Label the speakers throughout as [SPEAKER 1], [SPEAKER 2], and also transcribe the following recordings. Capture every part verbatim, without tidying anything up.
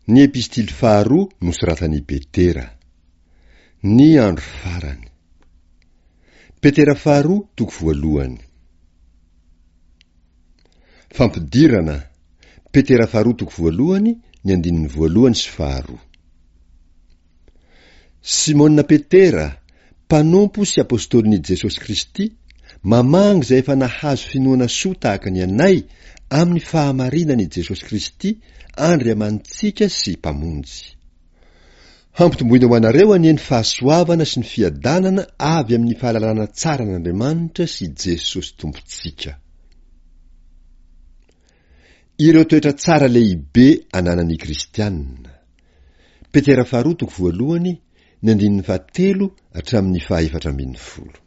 [SPEAKER 1] Ny epistily faharoa nosoratan'i Petera. Ny andro farany. Petera faharoa toko voalohany. Fampidirana, Petera faharoa toko voalohany, ny andininy voalohany sy faharoa. Simona Petera, mpanompo sy apostolin'i Jesosy Kristy, mamangy izay efa nahazo finoana soa tahaka ny anay amin'ny fahamarinan'i Jesosy Kristy Andriamanitsika sy Mpamonjy. Hampitomboina ho anareo anie ny fahasoavana sy ny fiadanana avy amin'ny fahalalana tsara an'Andriamanitra sy Jesosy Tompontsika. Ireo toetra tsara lehibe ananan'ny Kristianina. Petera faharoa toko voalohany, ny andininy fahatelo hatramin'ny fahaefatra ambin'ny folo.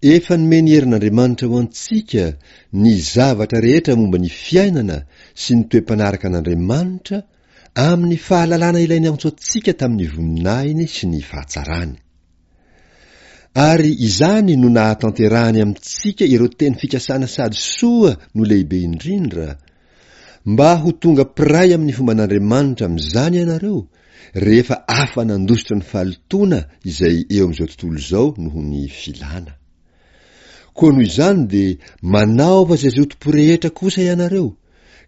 [SPEAKER 1] Efa nomeny herin'Andriamanitra ho antsika ny zavatra rehetra momba ny fiainana sy ny toe-panaraka an'Andriamanitra amin'ny fahalalana ilay niantso antsika tamin'ny voninahiny sy ny fahatsarany. Ary izany no nahatanterahany amintsika ireo teny fikasana sady soa no lehibe indrindra, mba ho tonga mpiray amin'ny fomban'Andriamanitra amin'izany ianareo, rehefa afa-nandositra ny fahalotoana izay eo amin'izao tontolo izao noho ny filana. Koa noho izany dia manaova izay zotom-po rehetra kosa ianareo,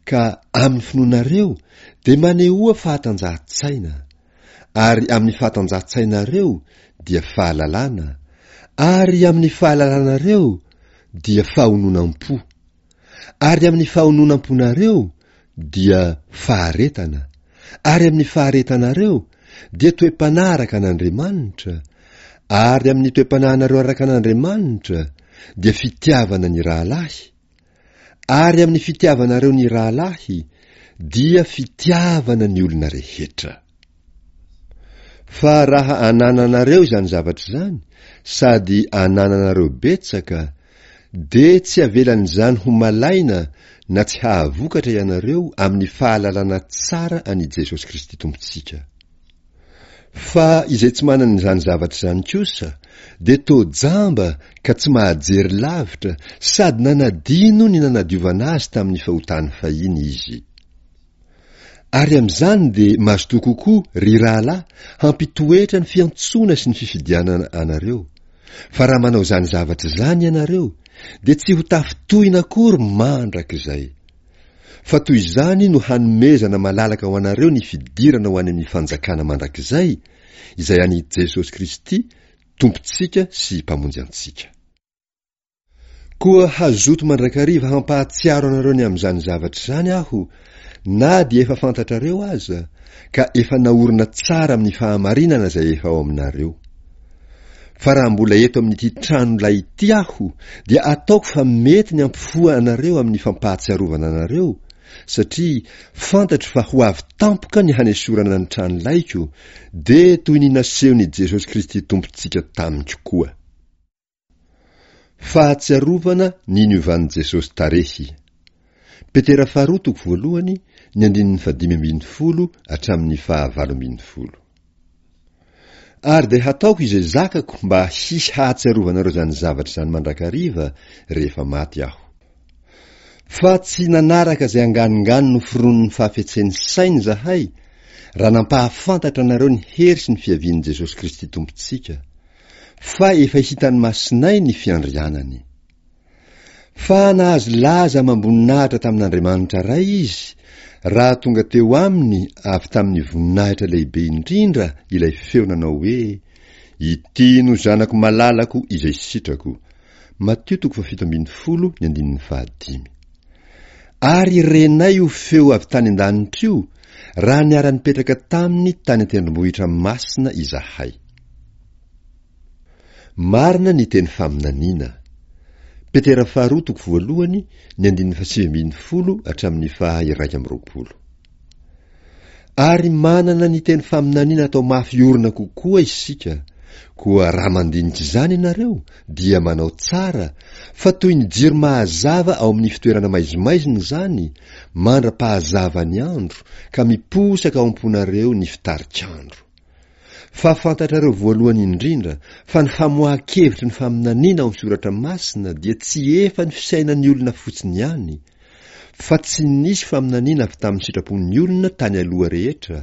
[SPEAKER 1] ka amin'ny finoanareo dia manehoa fahatanjahan-tsaina, ary amin'ny fahatanjahan-tsainareo dia fahalalana, ary amin'ny fahalalanareo dia fahononam-po, ary amin'ny fahononam-ponareo dia faharetana, ary amin'ny faharetanareo dia toe-panahy araka an'Andriamanitra, ary amin'ny toe-panahinareo araka an'Andriamanitra dia fitiavana ny rahalahy, Ary amin'ny fitiavanareo ny rahalahy dia fitiavana ny olona rehetra. Fa raha anananareo izany zavatra izany sady anananareo betsaka, dia tsy avelan'izany ho malaina na tsy hahavokatra ianareo amin'ny fahalalana tsara an'i Jesosy Kristy Tompontsika. Fa izay tsy manana izany zavatra izany kosa dia toa jamba ka tsy mahajery lavitra sady nanadino ny nanadiovana azy tamin'ny fahotany fahiny izy. Ary amin'izany dia mazotoa kokoa, ry rahalahy, hampitoetra ny fiantsoana sy ny fifidianana anareo. Fa raha manao izany zavatra izany ianareo, dia tsy ho tafintohina akory mandrakizay. Fa toy izany no hanomezana malalaka ho anareo ny fidirana ho any amin'ny fanjakana mandrakizay, izay an'i Jesosy Kristy, Tompontsika sy Mpamonjy antsika. Koa hazoto mandrakariva hampahatsiaro anareo ny amin'izany zavatra izany aho, na dia efa fantatrareo aza, ka efa naorina tsara amin'ny fahamarinana izay efa ao aminareo. Fa raha mbola eto amin'ity trano lay ity aho dia ataoko fa mety ny hampifoha anareo amin'ny fampahatsiarovana anareo, satria fantatro fa ho avy tampoka ny hanesorana ny trano laiko, dia toy ny nasehon'i Jesosy Kristy Tompontsika tamiko koa. Fahatsiarovana ny niovan'i Jesosy tarehy. Petera faharoa toko voalohany, ny andininy fahadimy ambin'ny folo hatramin'ny fahavalo ambin'ny folo. Ary dia hataoko izay zakako mba hisy hahatsiarovanareo izany zavatra izany mandrakariva rehefa maty aho. Fa tsy nanaraka izay anganongano noforonin'ny fahafetsen'ny saina izahay, raha nampahafantatra anareo ny hery sy ny fiavian'i Jesosy Kristy Tompontsika, fa efa hitan'ny masonay ny fiandrianany. Fa nahazo laza amam-boninahitra tamin'Andriamanitra Ray izy, raha tonga teo aminy avy tamin'ny voninahitra lehibe indrindra ilay feo nanao hoe, Ity no Zanako malalako izay sitrako. Matio toko fahafito ambin'ny folo ny andininy fahadimy. Ary renay io feo avy tany an-danitra io, raha niara-nipetraka taminy tany an-tendrombohitra masina izahay. Marina ny teny faminaniana. Petera faharoa toko voalohany, ny andininy fahasivy ambin'ny folo hatramin'ny faha iraika amby roapolo. Ary manana ny teny faminaniana atao mafy orina kokoa isika, koa raha mandinika izany ianareo dia manao tsara, fa toy ny jiro mahazava ao amin'ny fitoerana maizimaizina izany, mandra-pahazava ny andro, ka miposaka ao am-ponareo ny fitarik'andro. Fa fantatrareo voalohany indrindra fa ny famoahan-kevitry ny faminaniana ao amin'ny Soratra Masina dia tsy efa ny fisainan'ny olona fotsiny ihany, Fa tsy nisy faminaniana avy tamin'ny sitrapon'ny olona tany aloha rehetra,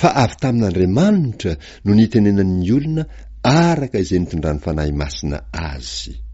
[SPEAKER 1] fa avy tamin'Andriamanitra no nitenenan'ny olona araka izay nitondran'ny Fanahy Masina azy.